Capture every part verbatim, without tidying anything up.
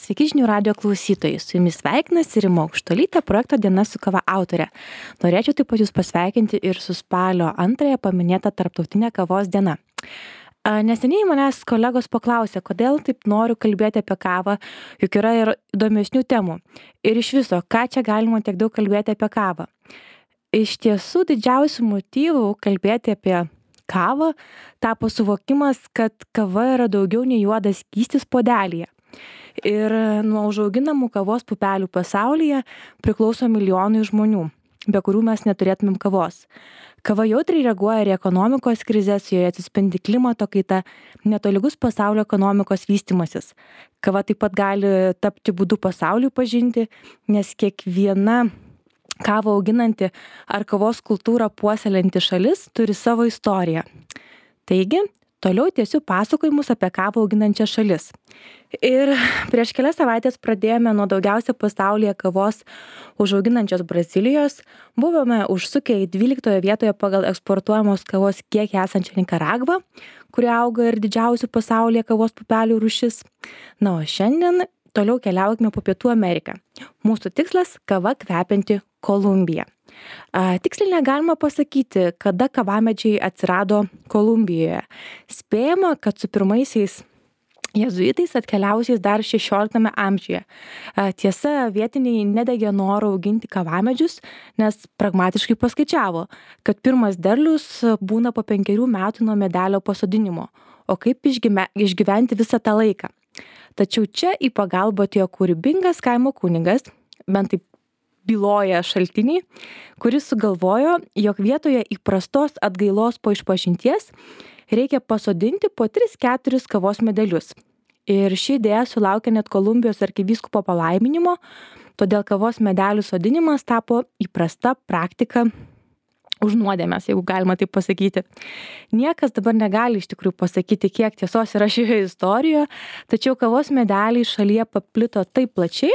Sveiki žinių radio klausytojai, su jumis sveikinasi Rima Aukštuolytė, projekto Diena su kava autorė. Norėčiau taip pat jūs pasveikinti ir su spalio antrąją paminėta Tarptautinė kavos diena. Neseniai manęs kolegos paklausė, kodėl taip noriu kalbėti apie kavą, juk yra ir įdomesnių temų. Ir iš viso, ką čia galima tiek daug kalbėti apie kavą. Iš tiesų didžiausių motyvų kalbėti apie kavą tapo suvokimas, kad kava yra daugiau nei juodas skystis puodelyje. Ir nuo užauginamų kavos pupelių pasaulyje priklauso milijonai žmonių, be kurių mes neturėtumėm kavos. Kava jautriai reaguoja ir į ekonomikos krizes, joje atsispindi klimato kaita, netolygus pasaulio ekonomikos vystimasis. Kava taip pat gali tapti būdu pasauliui pažinti, nes kiekviena kavą auginanti ar kavos kultūrą puoselėjanti šalis turi savo istoriją. Taigi, toliau tiesiu pasakojimus apie kavą auginančią šalis. Ir prieš kelias savaitės pradėjome nuo daugiausia pasaulyje kavos užauginančios Brazilijos, buvome užsukę į dvyliktoje vietoje pagal eksportuojamos kavos kiekį esančią Nikaragvą, kuri auga ir didžiausių pasaulyje kavos pupelių rūšis. Na, o šiandien toliau keliaukime po Pietų Ameriką. Mūsų tikslas – kava kvepianti Kolumbija. A, tiksliai negalima pasakyti, kada kavamedžiai atsirado Kolumbijoje. Spėjama, kad su pirmaisiais jezuitais atkeliausiais dar šešioliktame amžiuje. A, tiesa, vietiniai nedegė noro auginti kavamedžius, nes pragmatiškai paskaičiavo, kad pirmas derlius būna po penkerių metų nuo medelio pasodinimo, o kaip išgyme, išgyventi visą tą laiką. Tačiau čia į pagalbą atėjo kūrybingas kaimo kunigas, bent taip byloja šaltiniai, kuris sugalvojo, jog vietoje įprastos atgailos po išpažinties reikia pasodinti po tris keturis kavos medelius. Ir ši idėja sulaukė net Kolumbijos arkivyskupo palaiminimo, todėl kavos medelių sodinimas tapo įprasta praktika už nuodėmes, jeigu galima taip pasakyti. Niekas dabar negali iš tikrųjų pasakyti, kiek tiesos yra šioje istorijoje, tačiau kavos medeliai šalyje paplito taip plačiai,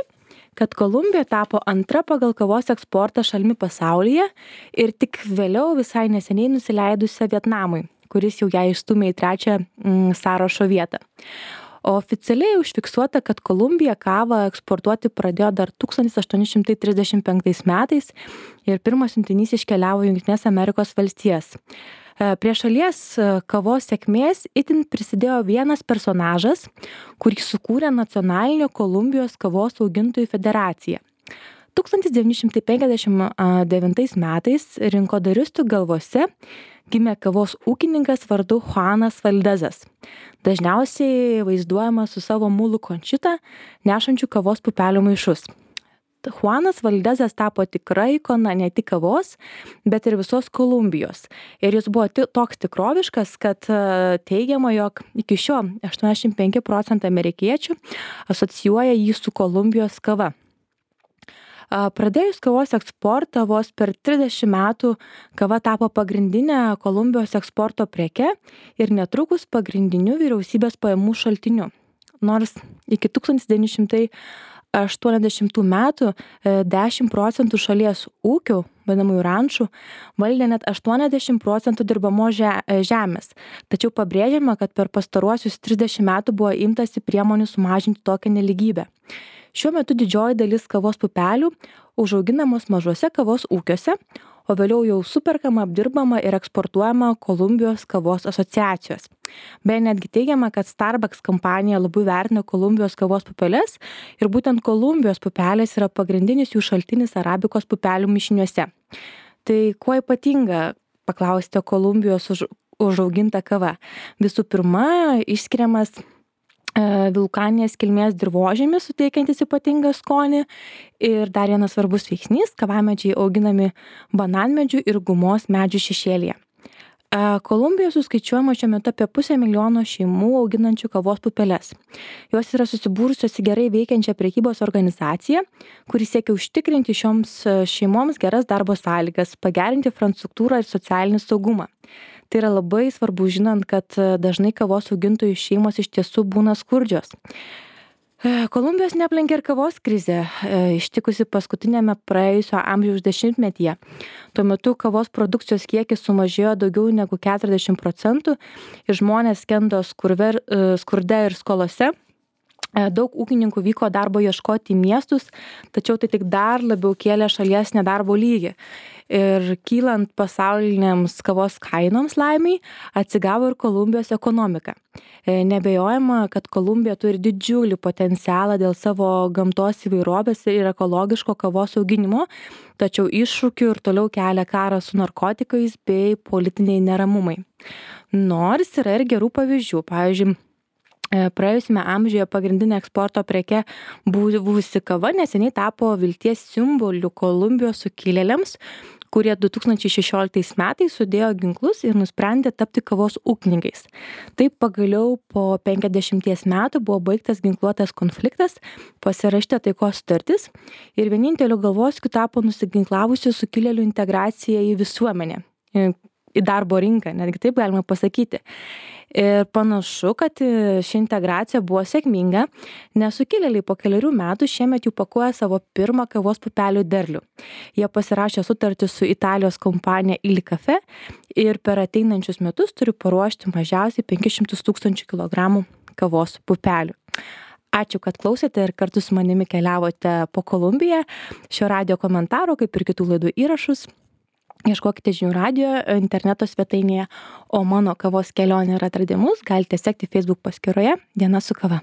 kad Kolumbija tapo antra pagal kavos eksportą šalimi pasaulyje ir tik vėliau visai neseniai nusileidusią Vietnamui, kuris jau ją išstūmė į trečią mm, sąrašo vietą. O oficialiai užfiksuota, kad Kolumbija kavą eksportuoti pradėjo dar tūkstantis aštuoni šimtai trisdešimt penktais metais ir pirmas siuntinys iškeliavo į Jungtines Amerikos valstijas. Prie šalies kavos sėkmės itin prisidėjo vienas personažas, kurį sukūrė Nacionalinė Kolumbijos kavos augintojų federacija. tūkstantis devyni šimtai penkiasdešimt devintais metais rinkodaristų galvose gimė kavos ūkininkas vardu Juanas Valdezas. Dažniausiai vaizduojamas su savo mulu Končita, nešančiu kavos pupelių maišus. Juanas Valdezas tapo tikra ikona ne tik kavos, bet ir visos Kolumbijos. Ir jis buvo t- toks tikroviškas, kad teigiama, jog iki šio aštuoniasdešimt penki procentai amerikiečių asocijuoja jį su Kolumbijos kava. Pradėjus kavos eksportą vos per trisdešimt metų kava tapo pagrindinė Kolumbijos eksporto preke ir netrukus pagrindiniu vyriausybės pajamų šaltiniu. Nors iki tūkstantis devyni šimtai aštuoniasdešimtų metų dešimt procentų šalies ūkių, vadinamųjų rančų, valdė net aštuoniasdešimt procentų dirbamos žemės. Tačiau pabrėžiama, kad per pastaruosius trisdešimt metų buvo imtasi priemonių sumažinti tokią nelygybę. Šiuo metu didžioji dalis kavos pupelių užauginamos mažuose kavos ūkiuose, o vėliau jau superkama, apdirbama ir eksportuojama Kolumbijos kavos asociacijos. Beje, netgi teigiama, kad Starbucks kompanija labai vertina Kolumbijos kavos pupeles ir būtent Kolumbijos pupelės yra pagrindinis jų šaltinis arabikos pupelių mišiniuose. Tai kuo ypatinga, paklausite, Kolumbijos už, užauginta kava? Visų pirma, išskiriamas vulkaninės kilmės dirvožemis, suteikiantis ypatingą skonį. Ir dar vienas svarbus veiksnys – kavamedžiai auginami bananmedžių ir gumos medžių šešėlyje. Kolumbijoje suskaičiuojama šiuo metu apie pusę milijono šeimų auginančių kavos pupeles. Jos yra susibūrusios į gerai veikiančią prekybos organizaciją, kuri siekia užtikrinti šioms šeimoms geras darbo sąlygas, pagerinti infrastruktūrą ir socialinį saugumą. Tai yra labai svarbu, žinant, kad dažnai kavos augintojų šeimos iš tiesų būna skurdžios. Kolumbijos neaplenkė ir kavos krizė, ištikusi paskutinėme praėjusio amžiaus dešimtmetyje. Tuo metu kavos produkcijos kiekis sumažėjo daugiau negu keturiasdešimt procentų ir žmonės skendo skurde ir skolose. Daug ūkininkų vyko darbo ieškoti į miestus, tačiau tai tik dar labiau kėlė šalies nedarbo lygį. Ir kylant pasauliniams kavos kainoms laimiai, atsigavo ir Kolumbijos ekonomika. Nebejojama, kad Kolumbija turi didžiulį potencialą dėl savo gamtos įvairovės ir ekologiško kavos auginimo, tačiau iššūkių ir toliau kelia karas su narkotikais bei politiniai neramumai. Nors yra ir gerų pavyzdžių, pavyzdžiui, praėjusiame amžiuje pagrindinė eksporto preke buvusi kava neseniai tapo vilties simboliu Kolumbijos sukilėliams, kurie du tūkstančiai šešioliktais metais sudėjo ginklus ir nusprendė tapti kavos ūkininkais. Taip pagaliau po penkiasdešimties metų buvo baigtas ginkluotas konfliktas, pasirašyta taikos sutartis ir vieninteliu galvosūkiu tapo nusiginklavusių sukilėlių integracija į visuomenę, į darbo rinką, netgi taip galima pasakyti. Ir panašu, kad ši integracija buvo sėkminga, nes sukilėliai po keliarių metų šiemet jau pakuoja savo pirmą kavos pupelių derlių. Jie pasirašė sutartį su Italijos kompanija Illy Caffè ir per ateinančius metus turi paruošti mažiausiai penkis šimtus tūkstančių kilogramų kavos pupelių. Ačiū, kad klausėte ir kartu su manimi keliavote po Kolumbiją. Šio radijo komentaro, kaip ir kitų laidų įrašus, ieškokite Žinių radijo interneto svetainėje, o mano kavos kelionę ir atradimus galite sekti Facebook paskyroje Diena su kava.